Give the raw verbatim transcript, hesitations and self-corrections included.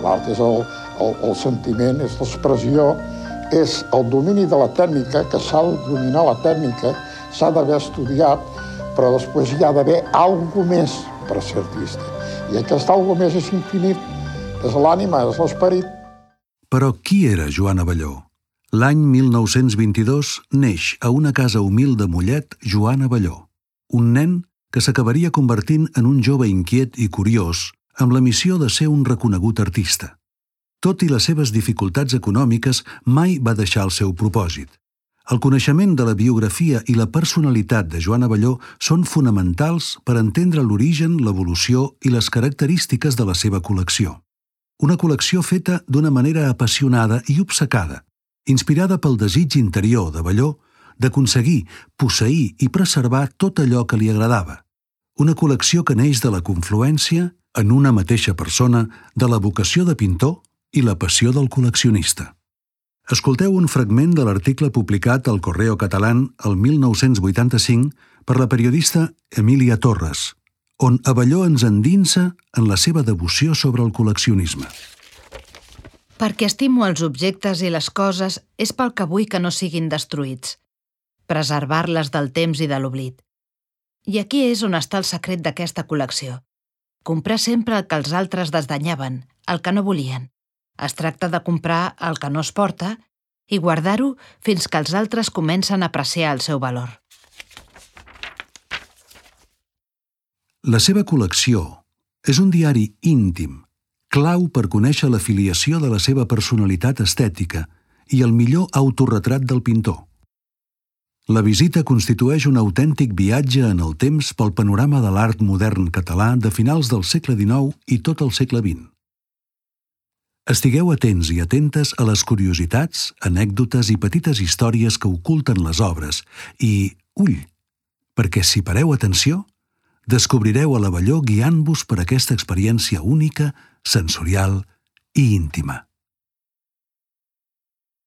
L'art és el, el, el sentiment, és l'expressió, és el domini de la tècnica, que s'ha de dominar la tècnica, s'ha d'haver estudiat, però després hi ha d'haver alguna més per ser artista. I aquest alguna més és infinit, és l'ànima, és l'esperit. Però qui era Joan Abelló? L'any mil nou-cents vint-i-dos neix a una casa humil de Mollet Joan Abelló, un nen que s'acabaria convertint en un jove inquiet i curiós amb la missió de ser un reconegut artista. Tot i les seves dificultats econòmiques, mai va deixar el seu propòsit. El coneixement de la biografia i la personalitat de Joan Abelló són fonamentals per entendre l'origen, l'evolució i les característiques de la seva col·lecció. Una col·lecció feta d'una manera apassionada i obcecada, inspirada pel desig interior d'Abelló d'aconseguir, posseir i preservar tot allò que li agradava. Una col·lecció que neix de la confluència, en una mateixa persona, de la vocació de pintor i la passió del col·leccionista. Escolteu un fragment de l'article publicat al Correo Catalán el mil nou-cents vuitanta-cinc per la periodista Emília Torres, on Abelló ens endinsa en la seva devoció sobre el col·leccionisme. Perquè estimo els objectes i les coses és pel que vull que no siguin destruïts, preservar-les del temps i de l'oblit. I aquí és on està el secret d'aquesta col·lecció. Comprar sempre el que els altres desdanyaven, el que no volien. Es tracta de comprar el que no es porta i guardar-ho fins que els altres comencen a apreciar el seu valor. La seva col·lecció és un diari íntim, clau per conèixer la filiació de la seva personalitat estètica i el millor autorretrat del pintor. La visita constitueix un autèntic viatge en el temps pel panorama de l'art modern català de finals del segle dinou i tot el segle vint. Estigueu atents i atentes a les curiositats, anècdotes i petites històries que oculten les obres i, ull, perquè si pareu atenció, descobrireu a l'Abelló guiant-vos per aquesta experiència única, sensorial i íntima.